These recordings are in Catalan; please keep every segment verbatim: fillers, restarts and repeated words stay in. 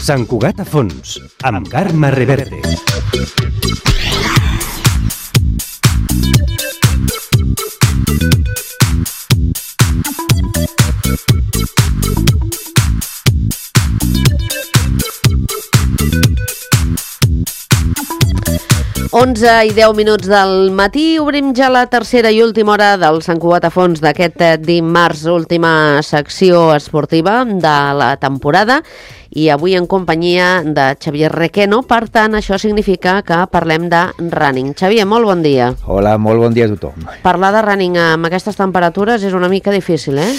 Sant Cugat a fons, amb Carme Reverte. onze i deu minuts del matí, obrim ja la tercera i última hora del Sant Cugat a fons d'aquest dimarts, última secció esportiva de la temporada, i avui en companyia de Xavier Requeno. Per tant, això significa que parlem de running. Xavier, molt bon dia. Hola, molt bon dia a tothom. Parlar de running amb aquestes temperatures és una mica difícil, eh?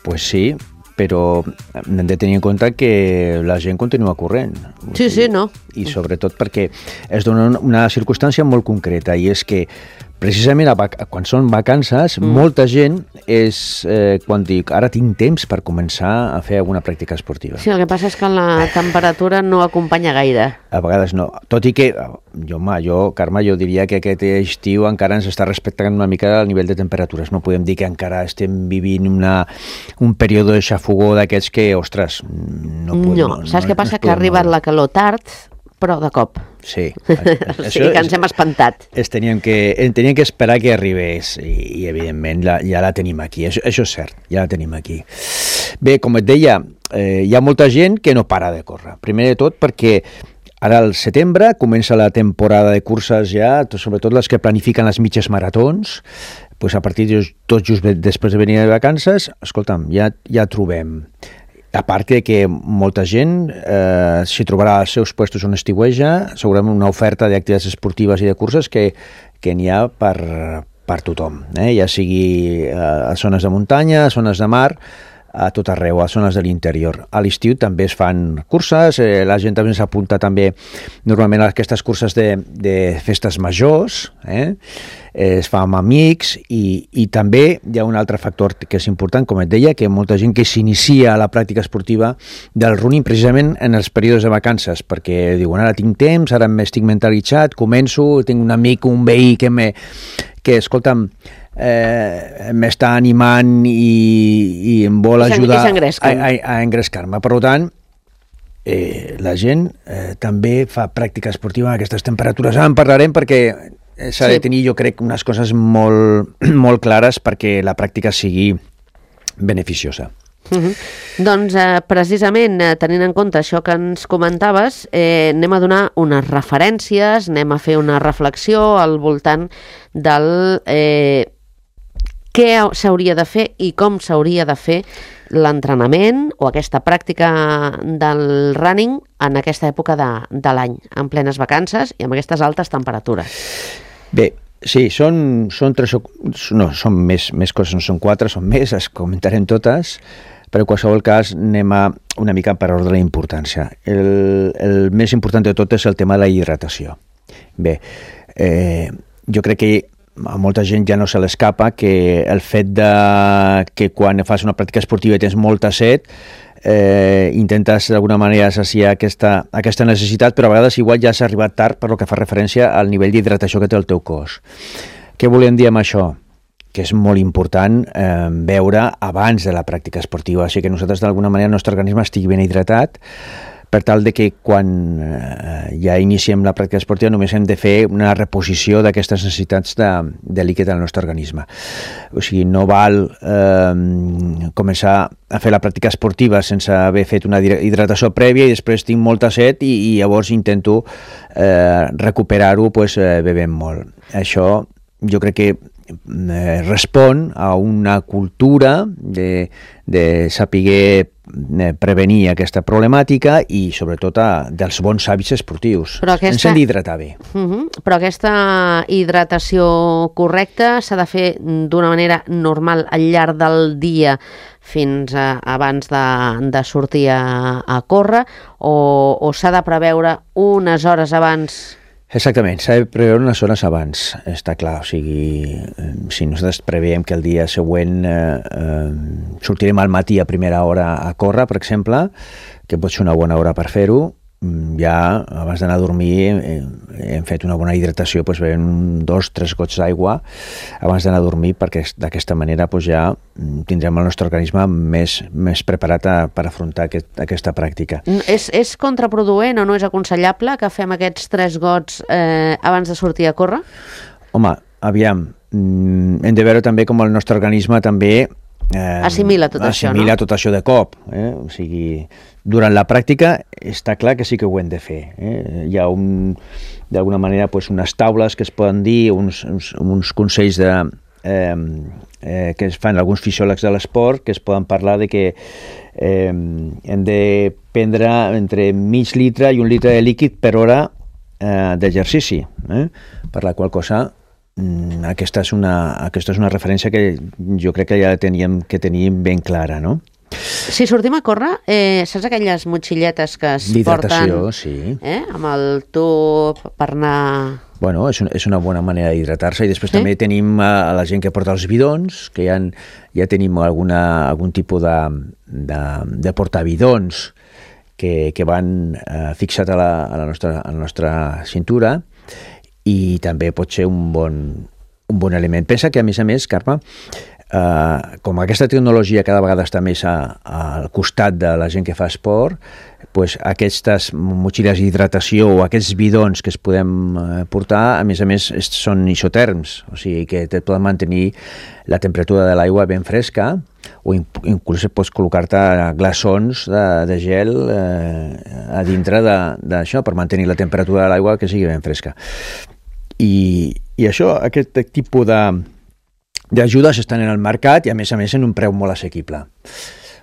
Pues sí, però hem de tenir en compte que la gent continua corrent. Sí, sí, no? I sobretot perquè es dona una circumstància molt concreta, i és que precisament quan són vacances, mm. molta gent és eh, quan dic, ara tinc temps per començar a fer alguna pràctica esportiva. Sí, el que passa és que la temperatura no acompanya gaire. A vegades no. Tot i que, jo, home, jo, Carme, jo diria que aquest estiu encara ens està respectant una mica el nivell de temperatures. No podem dir que encara estem vivint una, un període de xafogó d'aquests que, ostres, no podem... No, saps no, què passa? No que ha arribat la calor tard, però de cop. Sí. O sigui que ens hem espantat. Es teníem que, teníem que esperar que arribés i, i evidentment, la, ja la tenim aquí. Això, això és cert, ja la tenim aquí. Bé, com et deia, eh, hi ha molta gent que no para de córrer. Primer de tot perquè ara al setembre comença la temporada de curses ja, sobretot les que planifiquen les mitges maratons. Pues a partir de tot just després de venir de vacances, escolta'm, ja, ja trobem... A part que molta gent eh, s'hi trobarà als seus puestos on estiueja, segurament una oferta d'activitats esportives i de curses que, que n'hi ha per, per tothom, eh? Ja sigui eh, a zones de muntanya, a zones de mar, a tot arreu, a zones de l'interior. A l'estiu també es fan curses, eh, la gent també s'apunta també normalment a aquestes curses de, de festes majors, eh? Es fa amb amics, i, i també hi ha un altre factor que és important, com et deia, que molta gent que s'inicia a la pràctica esportiva del running precisament en els períodes de vacances, perquè diuen, ara tinc temps, ara m'estic mentalitzat, començo, tinc un amic, un veí que, me, que escolta'm, eh, m'està animant i, i em vol ajudar a, a, a engrescar-me. Per tant, eh, la gent eh, també fa pràctica esportiva a aquestes temperatures. Ara en parlarem perquè s'ha de tenir, jo crec, unes coses molt, molt clares perquè la pràctica sigui beneficiosa. Uh-huh. Doncs eh, precisament eh, tenint en compte això que ens comentaves, eh, anem a donar unes referències, anem a fer una reflexió al voltant del eh, què s'hauria de fer i com s'hauria de fer l'entrenament o aquesta pràctica del running en aquesta època de, de l'any, en plenes vacances i amb aquestes altes temperatures. Bé, sí, són, són tres o... No, són més, més coses, no són quatre, són més, les comentarem totes, però en qualsevol cas anem a una mica per ordre d'importància. El, el més important de tot és el tema de la hidratació. Bé, eh, jo crec que a molta gent ja no se l'escapa que el fet de que quan fas una pràctica esportiva i tens molta set, eh, intentes d'alguna manera saciar aquesta, aquesta necessitat, però a vegades igual ja s'ha arribat tard per lo que fa referència al nivell d'hidratació que té el teu cos. Què volem dir amb això? Que és molt important eh, veure abans de la pràctica esportiva, així que nosaltres d'alguna manera el nostre organisme estigui ben hidratat, per tal de que quan eh, ja iniciem la pràctica esportiva només hem de fer una reposició d'aquestes necessitats de, de líquid al nostre organisme. O sigui, no val eh, començar a fer la pràctica esportiva sense haver fet una hidratació prèvia i després tinc molta set i, i llavors intento eh, recuperar-ho pues, eh, bevent molt. Això jo crec que eh, respon a una cultura de, de saber prevenir aquesta problemàtica i sobretot a, dels bons hàbits esportius. Aquesta... Ens hem d'hidratar bé. Uh-huh. Però aquesta hidratació correcta s'ha de fer d'una manera normal al llarg del dia fins a, abans de, de sortir a, a córrer o, o s'ha de preveure unes hores abans? Exactament, s'ha de preveure unes hores abans, està clar. O sigui, si nosaltres preveiem que el dia següent eh, eh, sortirem al matí a primera hora a córrer, per exemple, que pot ser una bona hora per fer-ho, ja abans d'anar a dormir eh, hem fet una bona hidratació, doncs bevent dos, tres gots d'aigua abans d'anar a dormir, perquè d'aquesta manera doncs ja tindrem el nostre organisme més, més preparat a, per afrontar aquest, aquesta pràctica. És, és contraproduent o no és aconsellable que fem aquests tres gots eh, abans de sortir a córrer? Home, aviam, hem de veure també com el nostre organisme també Eh, assimila tot assimila això, no? tot això de cop. Eh? O sigui, durant la pràctica està clar que sí que ho hem de fer. Eh? Hi ha un, d'alguna manera pues, unes taules que es poden dir, uns, uns, uns consells de, eh, eh, que es fan alguns fisiòlegs de l'esport, que es poden parlar de que eh, hem de prendre entre mig litre i un litre de líquid per hora eh, d'exercici, eh? Per la qual cosa Aquesta és, una, aquesta és una referència que jo crec que ja teníem que tenir ben clara, no? Si sortim a córrer, eh, saps aquelles motxilletes que es porten sí. eh, amb el tub per anar... Bueno, és, un, és una bona manera d'hidratar-se, i després sí? també tenim a, a la gent que porta els bidons, que ja, ja tenim alguna, algun tipus de, de, de portabidons que, que van eh, fixat a la, a, la nostra, a la nostra cintura, i també pot ser un bon, un bon element. Pensa que, a més a més, Carme, eh, com aquesta tecnologia cada vegada està més a, a, al costat de la gent que fa esport, pues, aquestes motxilles d'hidratació o aquests bidons que es podem eh, portar, a més a més, són isoterms, o sigui que te poden mantenir la temperatura de l'aigua ben fresca, o inclús pots col·locar-te glaçons de, de gel eh, a dintre d'això per mantenir la temperatura de l'aigua que sigui ben fresca. I, i això, aquest tipus d'ajudes estan en el mercat i a més a més en un preu molt assequible.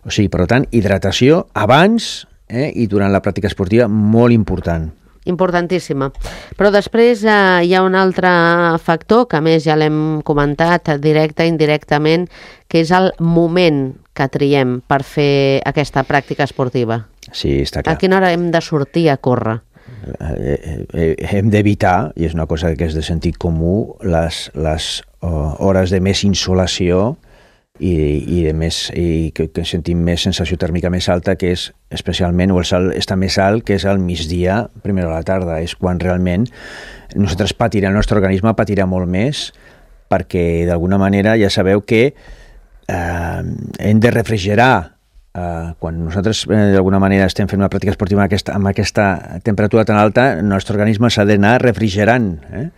O sigui, per tant, hidratació abans eh, i durant la pràctica esportiva molt important. Importantíssima. Però després eh, hi ha un altre factor que a més ja l'hem comentat directe i indirectament, que és el moment que triem per fer aquesta pràctica esportiva. Sí, està clar. A quina hora hem de sortir a córrer? Eh, eh, hem d'evitar, i és una cosa que és de sentit comú, les, les uh, hores de més insolació i, i, de més, i que, que sentim més sensació tèrmica més alta, que és especialment, o el sol està més alt, que és al migdia, primera a la tarda. És quan realment nosaltres patirem, el nostre organisme patirà molt més, perquè d'alguna manera ja sabeu que eh, hem de refrigerar. Uh, quan nosaltres eh, d'alguna manera estem fent una pràctica esportiva amb aquesta, amb aquesta temperatura tan alta, el nostre organisme s'ha d'anar refrigerant, eh?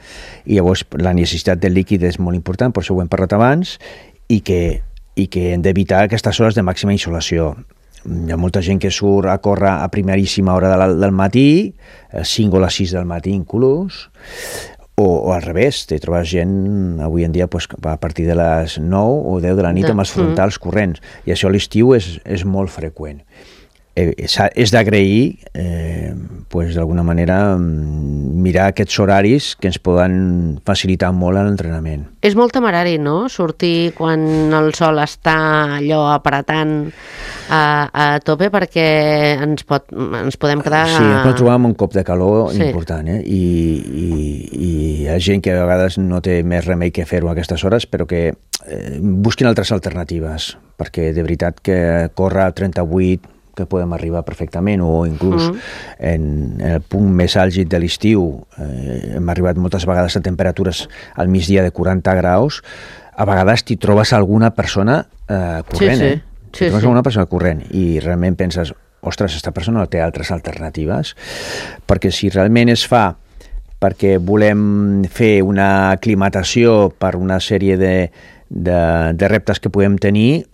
I llavors la necessitat del líquid és molt important, per això ho hem parlat abans, i que, i que hem d'evitar aquestes hores de màxima insolació. Hi ha molta gent que surt a córrer a primeríssima hora del, del matí, a cinc o les sis del matí inclús, O, o al revés, te trobes gent avui en dia pues, a partir de les nou o deu de la nit amb els frontals corrents, i això a l'estiu és, és molt freqüent. Eh, és és d'agrair eh, pues, d'alguna manera mirar aquests horaris que ens poden facilitar molt l'entrenament. És molt temerari, no?, sortir quan el sol està allò apretant a, a tope, perquè ens, pot, ens podem quedar... Sí, ens podem trobar amb un cop de calor sí. important, eh? I, i, i hi ha gent que a vegades no té més remei que fer-ho a aquestes hores, però que eh, busquin altres alternatives, perquè de veritat que córrer a trenta-vuit que podem arribar perfectament, o inclús mm. en, en el punt més àlgid de l'estiu eh, hem arribat moltes vegades a temperatures al migdia de quaranta graus, a vegades t'hi trobes alguna persona eh, corrent, sí, sí. eh? T'hi sí, trobes sí. alguna persona corrent, i realment penses, ostres, aquesta persona té altres alternatives, perquè si realment es fa perquè volem fer una aclimatació per una sèrie de De, de reptes que podem tenir,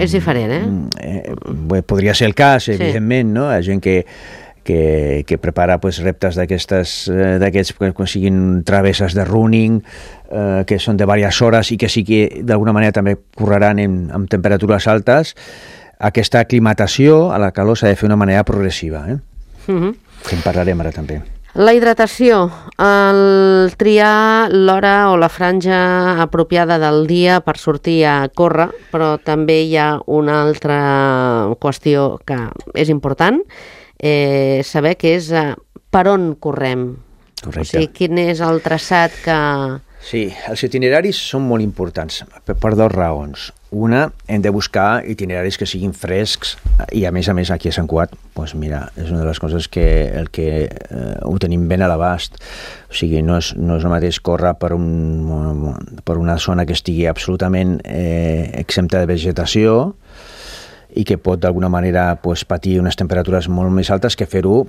és diferent, eh? eh podria ser el cas, evidentment, sí. No? Hi ha gent que, que, que prepara pues, reptes d'aquestes d'aquests que siguin travesses de running, eh, que són de diverses hores i que sí que d'alguna manera també correran en, amb temperatures altes. Aquesta aclimatació a la calor s'ha de fer d'una manera progressiva, eh? Uh-huh. Que en parlarem ara també. La hidratació, el triar l'hora o la franja apropiada del dia per sortir a córrer, però també hi ha una altra qüestió que és important, eh, saber que és eh, per on correm. Correcte. O sigui, quin és el traçat que, Sí, els itineraris són molt importants per, per dues raons. Una, hem de buscar itineraris que siguin frescs i a més a més aquí a Sant Cugat, doncs mira, és una de les coses que, el que eh, ho tenim ben a l'abast. O sigui, no és, no és el mateix córrer per, un, per una zona que estigui absolutament eh, exempta de vegetació i que pot d'alguna manera pues, patir unes temperatures molt més altes que fer-ho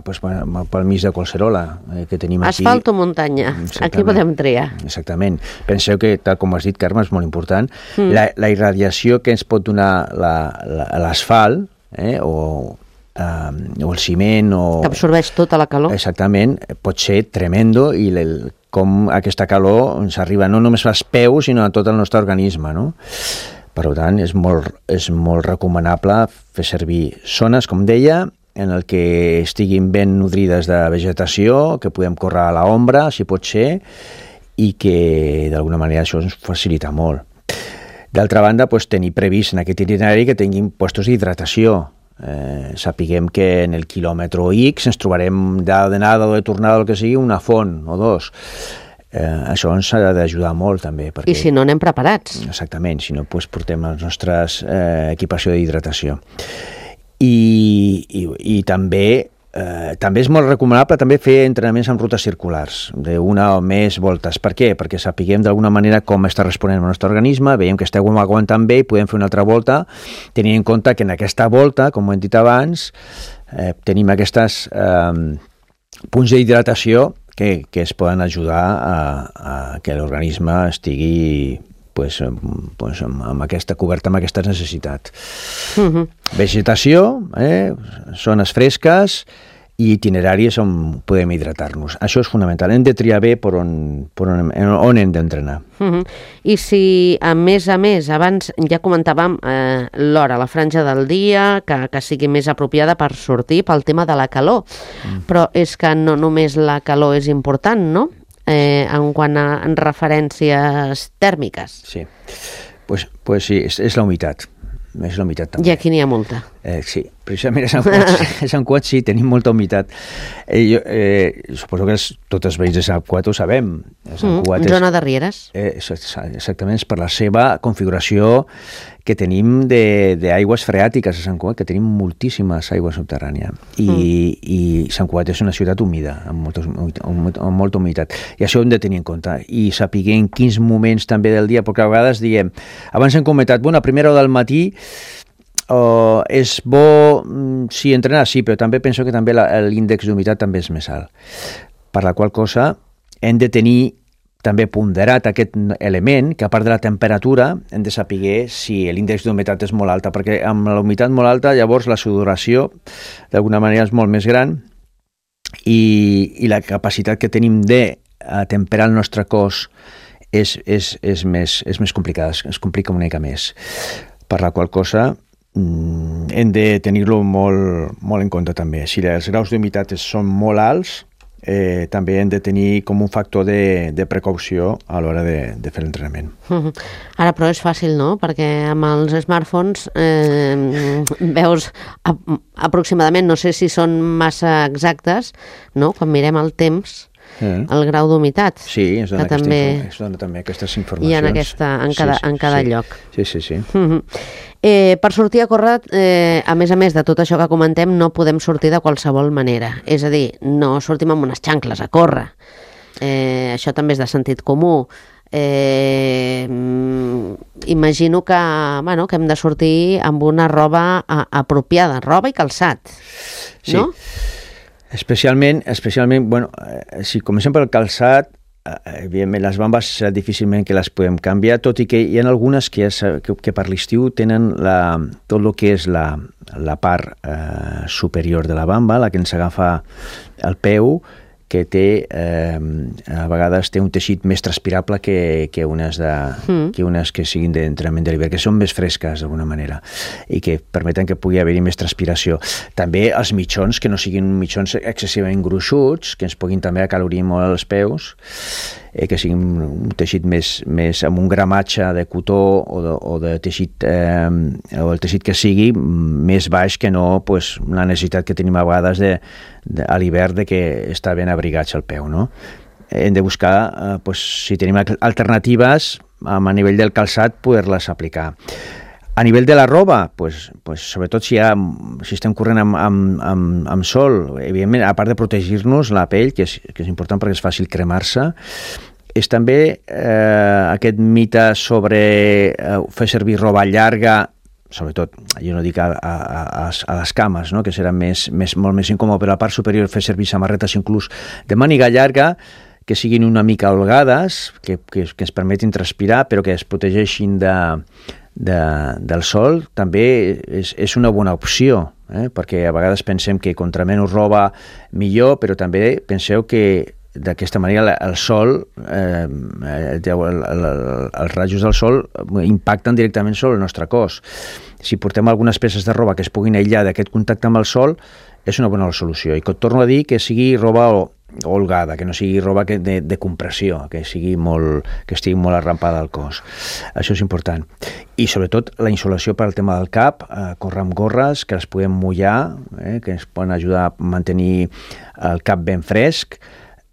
pues, pel mig de Collserola eh, que tenim aquí. Asfalt o muntanya, aquí podem triar. Exactament. Penseu que, tal com has dit, Carme, és molt important, mm. la, la irradiació que ens pot donar l'asfalt eh, o, eh, o el ciment o... que absorbeix tota la calor. Exactament, pot ser tremendo i el, com aquesta calor ens arriba no només als peus sinó a tot el nostre organisme, no? Per tant, és molt, és molt recomanable fer servir zones, com deia, en el que estiguin ben nodrides de vegetació, que podem córrer a l'ombra, si pot ser, i que d'alguna manera això ens facilita molt. D'altra banda, doncs, tenir previst en aquest itinerari que tinguin puestos d'hidratació. Eh, sapiguem que en el quilòmetre X ens trobarem d'anada o de tornada, el que sigui, una font o dos. Eh, això ens ha d'ajudar molt també. Perquè, I si no anem preparats. Exactament, si no doncs, portem les nostres eh, equipació d'hidratació. I, i, i també, eh, també és molt recomanable també fer entrenaments amb rutes circulars, d'una o més voltes. Per què? Perquè sapiguem d'alguna manera com està responent el nostre organisme, veiem que esteu aguantant bé i podem fer una altra volta, tenint en compte que en aquesta volta, com ho hem dit abans, eh, tenim aquestes eh, punts d'hidratació Que, que es poden ajudar a, a que l'organisme estigui pues, pues, amb, amb aquesta coberta, amb aquestes necessitats. Uh-huh. Vegetació, eh, zones fresques i itineraris on podem hidratar-nos. Això és fonamental. Hem de triar bé per on, per on, on hem d'entrenar. Uh-huh. I si, a més a més, abans ja comentàvem eh, l'hora, la franja del dia, que, que sigui més apropiada per sortir pel tema de la calor. Mm. Però és que no només la calor és important, no? Eh, en quant a en referències tèrmiques. Sí, pues, pues sí, és, és la humitat. És la humitat també. I aquí n'hi ha molta. Eh, sí, precisament a Sant Cugat, a Sant Cugat sí, tenim molta humitat. Eh, jo, eh, suposo que els, tots els veïns de Sant Cugat ho sabem. Sant Cugat mm, és, zona de rieres. Eh, exactament, és per la seva configuració que tenim d'aigües freàtiques a Sant Cugat, que tenim moltíssimes aigües subterrànies. I, mm. i Sant Cugat és una ciutat humida, amb, moltes, amb, amb molta humitat. I això ho hem de tenir en compte. I sapiguem en quins moments també del dia, perquè a vegades diem, abans hem comentat, bueno, a primera hora del matí Uh, és bo, sí, entrenar, sí, però també penso que també l'índex d'humitat també és més alt. Per la qual cosa hem de tenir també ponderat aquest element, que a part de la temperatura hem de saber si l'índex d'humitat és molt alta, perquè amb la humitat molt alta llavors la sudoració d'alguna manera és molt més gran i, i la capacitat que tenim de temperar el nostre cos és, és, és, més, és més complicada, es complica una mica més. Per la qual cosa hem de tenir-lo molt, molt en compte també. Si els graus d'humitat són molt alts, eh, també hem de tenir com un factor de, de precaució a l'hora de, de fer l'entrenament. Uh-huh. Ara, però és fàcil, no? Perquè amb els smartphones eh, veus a, aproximadament, no sé si són massa exactes, no? Quan mirem el temps, Mm. el grau d'humitat. Sí, es dona, aquesta també, es dona també aquestes informacions. I en, aquesta, en cada, sí, sí, en cada sí. lloc. Sí, sí, sí. Uh-huh. eh, per sortir a córrer, eh, a més a més de tot això que comentem, no podem sortir de qualsevol manera. És a dir, no sortim amb unes xancles a córrer. Eh, això també és de sentit comú. Eh, imagino que, bueno, que hem de sortir amb una roba a, apropiada, roba i calçat, sí. no? Especialment, especialment, bueno, si comencem pel calçat, evidentment les bambes serà difícilment que les podem canviar, tot i que hi ha algunes que, és, que, que per l'estiu tenen la, tot el que és la, la part eh, superior de la bamba, la que ens agafa el peu, que té, eh, a vegades té un teixit més transpirable que, que, unes de, mm. que unes que siguin d'entrenament de l'hivern, que són més fresques d'alguna manera i que permeten que pugui haver-hi més transpiració. També els mitjons, que no siguin mitjons excessivament gruixuts, que ens puguin també acalorir molt els peus, eh, que siguin un teixit més, més amb un gramatge de cotó o de, o de teixit eh, o el teixit que sigui més baix que no pues, la necessitat que tenim a vegades de, de, a l'hivern de que està ben abrigats al peu, no? hem de buscar, eh, pues, si tenim alternatives a nivell del calçat, poder-les aplicar. A nivell de la roba, pues, pues, sobretot si, ha, si estem corrent amb, amb, amb, amb sol, evidentment, a part de protegir-nos la pell, que és, que és important perquè és fàcil cremar-se, és també eh, aquest mite sobre eh, fer servir roba llarga, sobretot, jo no dic a, a, a, a les cames, no? Que serà més, més, molt més incòmode, però a la part superior fer servir samarretes inclús de màniga llarga, que siguin una mica holgades, que, que, que ens permetin transpirar, però que es protegeixin de, de, del sol, també és, és una bona opció, eh? Perquè a vegades pensem que contra menys roba millor, però també penseu que d'aquesta manera el sol, eh, el, el, el, els rajos del sol impacten directament sobre el nostre cos. Si portem algunes peces de roba que es puguin aïllar d'aquest contacte amb el sol, és una bona solució. I que et torno a dir que sigui roba holgada, que no sigui roba que de, de compressió, que sigui molt, que estigui molt arrampada al cos. Això és important. I sobretot la insolació per al tema del cap, eh, córrer amb gorres que les podem mullar, eh, que ens poden ajudar a mantenir el cap ben fresc.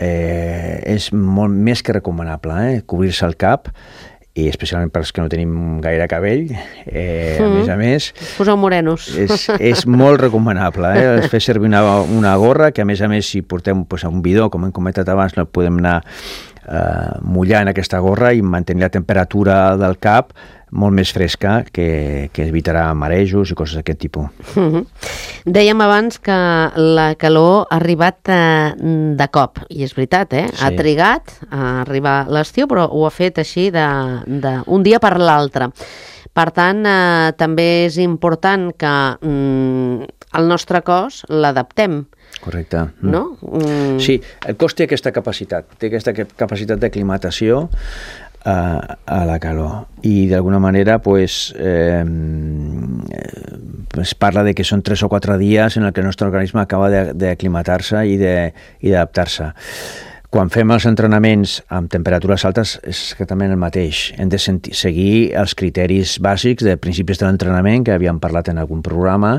Eh, és molt més que recomanable, eh, cobrir-se el cap, i especialment per als que no tenim gaire cabell, eh, mm. a més a més... Poseu morenos. És, és molt recomanable, eh? Fer servir una, una gorra que, a més a més, si portem pues, un bidó, com hem comentat abans, no podem anar eh, mullant aquesta gorra i mantenir la temperatura del cap molt més fresca, que, que evitarà marejos i coses d'aquest tipus. Mm-hmm. Dèiem abans que la calor ha arribat eh, de cop, i és veritat, eh? Sí. Ha trigat a arribar l'estiu, però ho ha fet així d'un dia per l'altre. Per tant, eh, també és important que mm, el nostre cos l'adaptem. Correcte. No? Mm. Sí, el cos té aquesta capacitat, té aquesta capacitat d'aclimatació A, a la calor, i d'alguna manera pues, eh, es parla de que són tres o quatre dies en el que el nostre organisme acaba d'aclimatar-se i d'adaptar-se. Quan fem els entrenaments amb temperatures altes és exactament el mateix. Hem de sentir, seguir els criteris bàsics de principis de l'entrenament que havíem parlat en algun programa,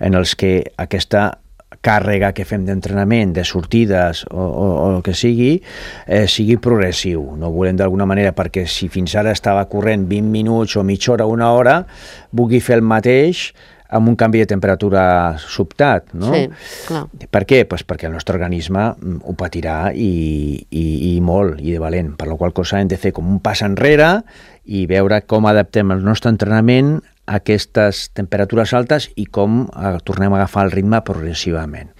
en els que aquesta càrrega que fem d'entrenament, de sortides o, o, o el que sigui, eh, sigui progressiu. No volem d'alguna manera, perquè si fins ara estava corrent vint minuts o mitja hora o una hora, vulgui fer el mateix amb un canvi de temperatura sobtat, no? Sí, clar. Per què? Pues perquè el nostre organisme ho patirà i, i, i molt, i de valent, per la qual cosa hem de fer com un pas enrere i veure com adaptem el nostre entrenament a aquestes temperatures altes i com eh, tornem a agafar el ritme progressivament.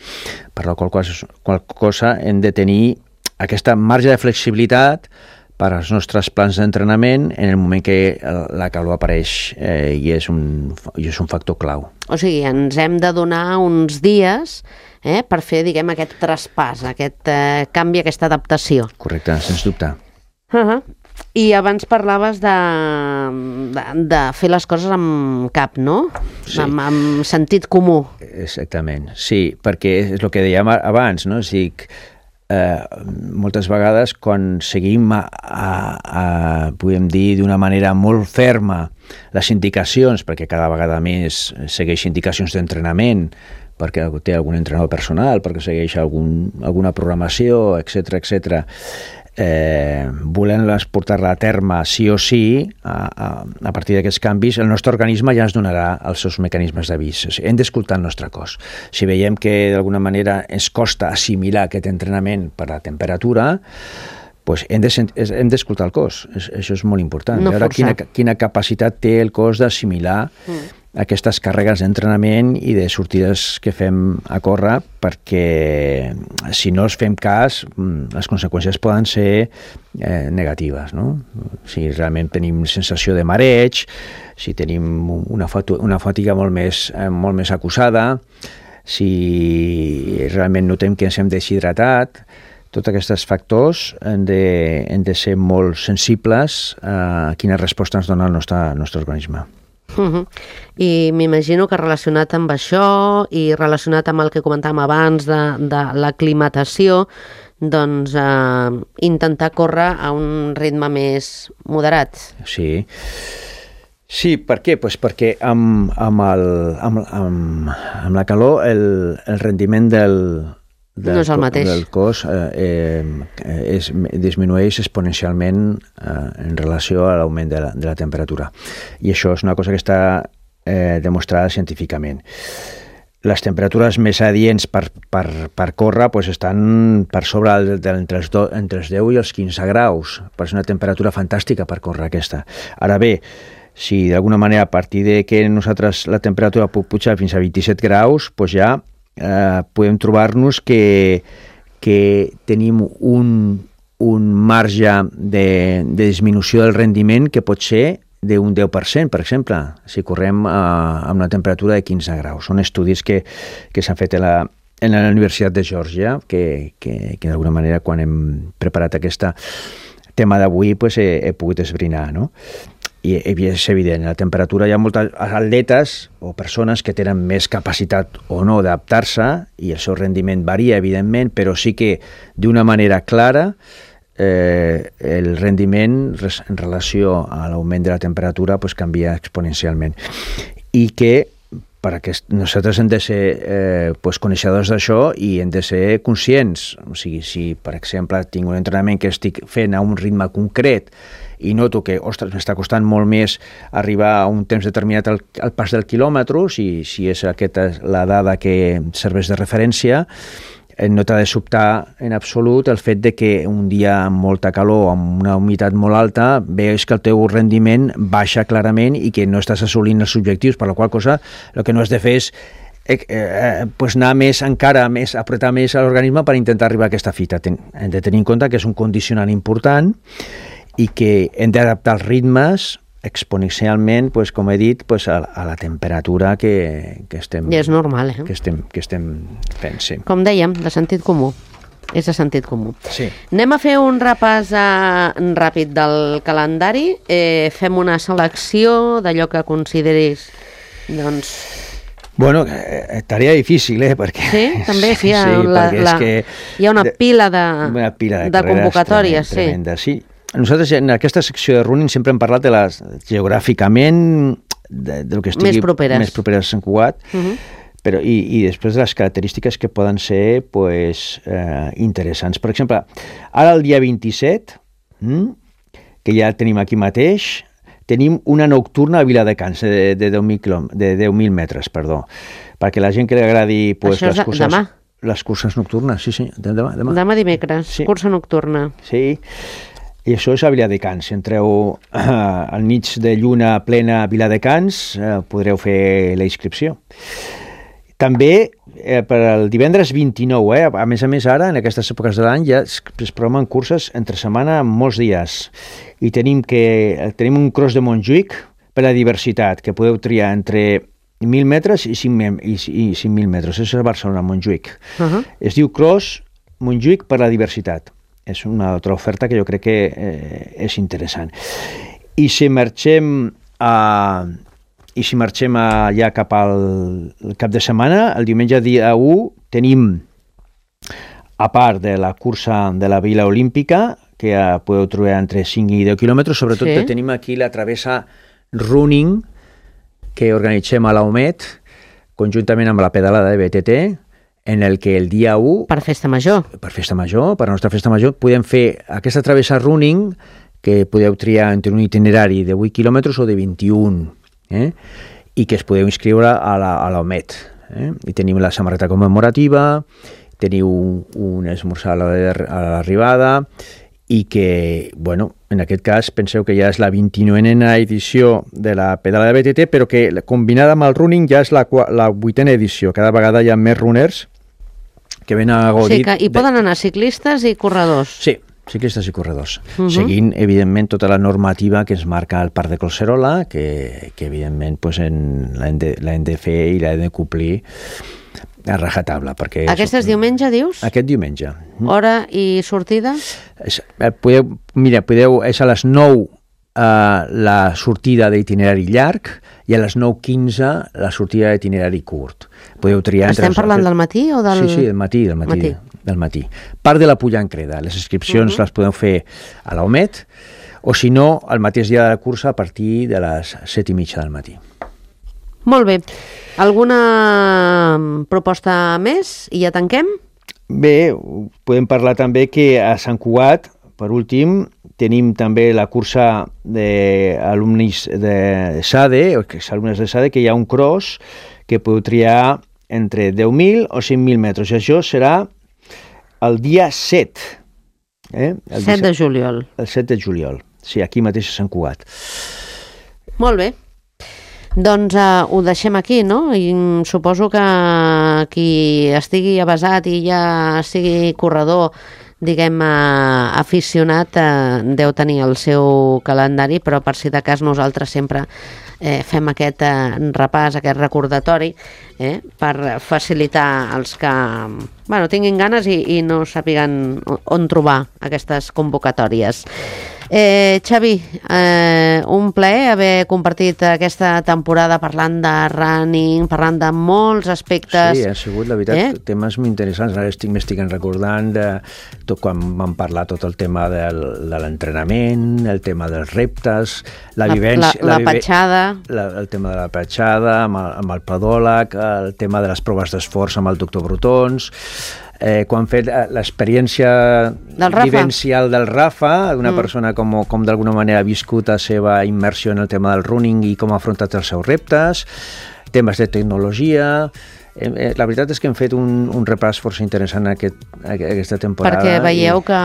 Per la qual cosa, qual cosa hem de tenir aquesta marge de flexibilitat per als nostres plans d'entrenament en el moment que la calor apareix eh, i, és un, i és un factor clau. O sigui, ens hem de donar uns dies eh, per fer, diguem, aquest traspàs, aquest eh, canvi, aquesta adaptació. Correcte, sens dubte. Uh-huh. I abans parlaves de, de, de fer les coses amb cap, no? Sí. Amb, amb sentit comú. Exactament, sí, perquè és el que dèiem abans, no? O sigui, eh, moltes vegades quan seguim, a, a, a, podem dir, d'una manera molt ferma les indicacions, perquè cada vegada més segueix indicacions d'entrenament, perquè té algun entrenador personal, perquè segueix algun, alguna programació, etcètera, etcètera, Eh, volent-les portar-la a terme sí o sí, a, a, a partir d'aquests canvis, el nostre organisme ja ens donarà els seus mecanismes d'avís. O sigui, hem d'escoltar el nostre cos. Si veiem que d'alguna manera ens costa assimilar aquest entrenament per la temperatura, pues hem d'escoltar el cos. Això és molt important. No veure quina, quina capacitat té el cos d'assimilar mm. aquestes càrregues d'entrenament i de sortides que fem a córrer, perquè si no els fem cas, les conseqüències poden ser eh, negatives, no? Si realment tenim sensació de mareig, si tenim una, fatu- una fatiga molt més, eh, molt més acusada, si realment notem que ens hem deshidratat, tots aquests factors han de, han de ser molt sensibles a quina resposta ens dona el nostre, el nostre organisme. Uh-huh. I m'imagino que relacionat amb això i relacionat amb el que comentàvem abans de, de l'aclimatació, doncs eh, intentar córrer a un ritme més moderat. Sí, sí, per què? Pues perquè amb, amb, el, amb, amb, amb la calor el, el rendiment del, del, no és el mateix. del cos eh, eh, és, disminueix exponencialment eh, en relació a l'augment de, la, de la temperatura. I això és una cosa que està eh, demostrada científicament. Les temperatures més adients per, per, per córrer pues, estan per sobre el, de, entre, els do, entre els deu i els quinze graus. Per ser una temperatura fantàstica per córrer aquesta. Ara bé, si d'alguna manera a partir de que nosaltres la temperatura pot pujar fins a vint-i-set graus, pues ja eh, podem trobar-nos que, que tenim un, un marge de, de disminució del rendiment que pot ser d'un deu per cent, per exemple, si correm a, a una temperatura de quinze graus. Són estudis que, que s'han fet a la, en la Universitat de Geòrgia, que, que, que d'alguna manera quan hem preparat aquest tema d'avui pues, he, he pogut esbrinar, no? I és evident, la temperatura hi ha moltes atletes o persones que tenen més capacitat o no d'adaptar-se i el seu rendiment varia, evidentment, però sí que d'una manera clara eh, el rendiment en relació a l'augment de la temperatura pues, canvia exponencialment. I que perquè nosaltres hem de ser eh, pues, coneixedors d'això i hem de ser conscients. O sigui, si, per exemple, tinc un entrenament que estic fent a un ritme concret i noto que, ostres, m'està costant molt més arribar a un temps determinat al, al pas del quilòmetre, si, si és aquesta la dada que serveix de referència, no t'ha de sobtar en absolut el fet de que un dia amb molta calor, amb una humitat molt alta, veus que el teu rendiment baixa clarament i que no estàs assolint els objectius, per la qual cosa el que no has de fer és eh, eh, pues anar més, encara més, apretar més a l'organisme per intentar arribar a aquesta fita. Ten, hem de tenir en compte que és un condicionant important i que hem d'adaptar els ritmes exponencialment, pues, com he dit, pues, a, a la temperatura que, que, estem, I és normal, eh? que, estem, que estem fent. Sí. Com dèiem, de sentit comú. És de sentit comú. Sí. Anem a fer un repàs eh, ràpid del calendari. Eh, fem una selecció d'allò que consideris, doncs... Bueno, eh, tarea difícil, eh? Perquè, sí, també sí, sí, la, la, que hi ha una pila de, una pila de, de convocatòries. Tremenda, sí. Nosaltres en aquesta secció de running sempre hem parlat de les geogràficament de, del que estigui més properes, més properes a Sant Cugat, uh -huh. però, i, i després de les característiques que poden ser pues, eh, interessants. Per exemple, ara el dia vint-i-set, hm, que ja tenim aquí mateix, tenim una nocturna a Viladecans de, de deu mil metres, perdó, perquè la gent que li agradi pues, Això és les curses... demà? Les curses nocturnes, sí, sí, demà. Demà, demà dimecres, sí. Cursa nocturna. Sí, i això és a Viladecans. Si entreu eh, al mig de lluna plena a Viladecans, eh, podreu fer la inscripció. També eh, per al divendres vint-i-nou, eh, a més a més ara, en aquestes èpoques de l'any, ja es, es programen curses entre setmana en molts dies. I tenim, que, tenim un cross de Montjuïc per la diversitat, que podeu triar entre mil metres i cinc mil metres. Això és a Barcelona, Montjuïc. Uh -huh. Es diu Cross Montjuïc per la diversitat. És una altra oferta que jo crec que eh, és interessant. I si marxem a, i si marxem a, ja cap al cap de setmana, el diumenge dia u tenim, a part de la cursa de la Vila Olímpica, que ja podeu trobar entre cinc i deu quilòmetres, sobretot sí. Tenim aquí la travessa running que organitzem a l'Aumet, conjuntament amb la pedalada de B T T, en el que el dia u... Per festa major. Per festa major, per la nostra festa major, podem fer aquesta travessa running, que podeu triar entre un itinerari de vuit quilòmetres o de vint-i-un, eh? I que es podeu inscriure a l'Aumet. Eh? I tenim la samarreta commemorativa, teniu un, un esmorzar a l'arribada, i que, bueno, en aquest cas penseu que ja és la vint-i-novena edició de la pedala de B T T, però que combinada amb el running ja és la, la vuitena edició. Cada vegada hi ha més runners que venen a gaudir... Sí, que hi poden anar ciclistes i corredors. Sí, ciclistes i corredors. Uh -huh. Seguint, evidentment, tota la normativa que ens marca el Parc de Collserola, que, que evidentment, pues, l'hem de, de fer i l'hem de complir a rajatabla. Perquè Aquest és diumenge, dius? Aquest diumenge. Hora i sortida? És, podeu, mira, podeu, és a les nou uh, la sortida d'itinerari llarg i a les nou quinze la sortida d'itinerari curt. Podeu triar... Estem entre parlant del matí o del... Sí, sí, del matí, del matí. matí. Del matí. Part de la Pulla en Creda. Les inscripcions uh -huh. les podeu fer a l'Aumet o, si no, al mateix dia de la cursa a partir de les set i mitja del matí. Molt bé. Alguna proposta més i ja tanquem? Bé, podem parlar també que a Sant Cugat, per últim, tenim també la cursa d'alumnes de S A D E, o que és alumnes de S A D E, que hi ha un cross que podeu triar entre deu mil o cinc mil metres. I això serà el dia set. Eh? El set de juliol. El set de juliol. Sí, aquí mateix a Sant Cugat. Molt bé. Doncs uh, ho deixem aquí, no? I suposo que qui estigui avasat i ja sigui corredor, diguem, uh, aficionat, uh, deu tenir el seu calendari, però per si de cas nosaltres sempre eh, fem aquest uh, repàs, aquest recordatori, eh, per facilitar els que bueno, tinguin ganes i, i no sàpiguen on trobar aquestes convocatòries. Eh, Xavi, eh, un plaer haver compartit aquesta temporada parlant de running, parlant de molts aspectes. Sí, ha sigut, la veritat, eh? temes molt interessants. Ara estic, m'estic recordant de tot quan vam parlar tot el tema del, de l'entrenament, el tema dels reptes, la, la vivència... La, la, la petjada. La, el tema de la petjada, amb el, amb el pedòleg, el tema de les proves d'esforç amb el doctor Brotons... Eh, quan fet l'experiència vivencial del Rafa, d'una mm. persona com, com d'alguna manera ha viscut la seva immersió en el tema del running i com ha afrontat els seus reptes, temes de tecnologia... Eh, la veritat és que hem fet un, un repàs força interessant aquest, aquesta temporada. Perquè veieu i... que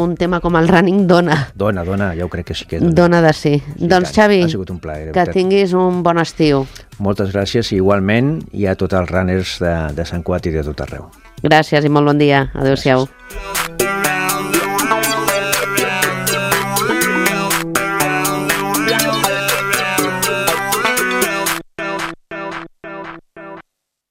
un tema com el running dona. Dona, dona, jo crec que sí que dona. Dona de sí. sí doncs tant. Xavi, ha sigut un plaer, que tinguis un bon estiu. Moltes gràcies i igualment i a tots els runners de, de Sant Cugat i de tot arreu. Gràcies i molt bon dia. Adéu-siau. Gràcies.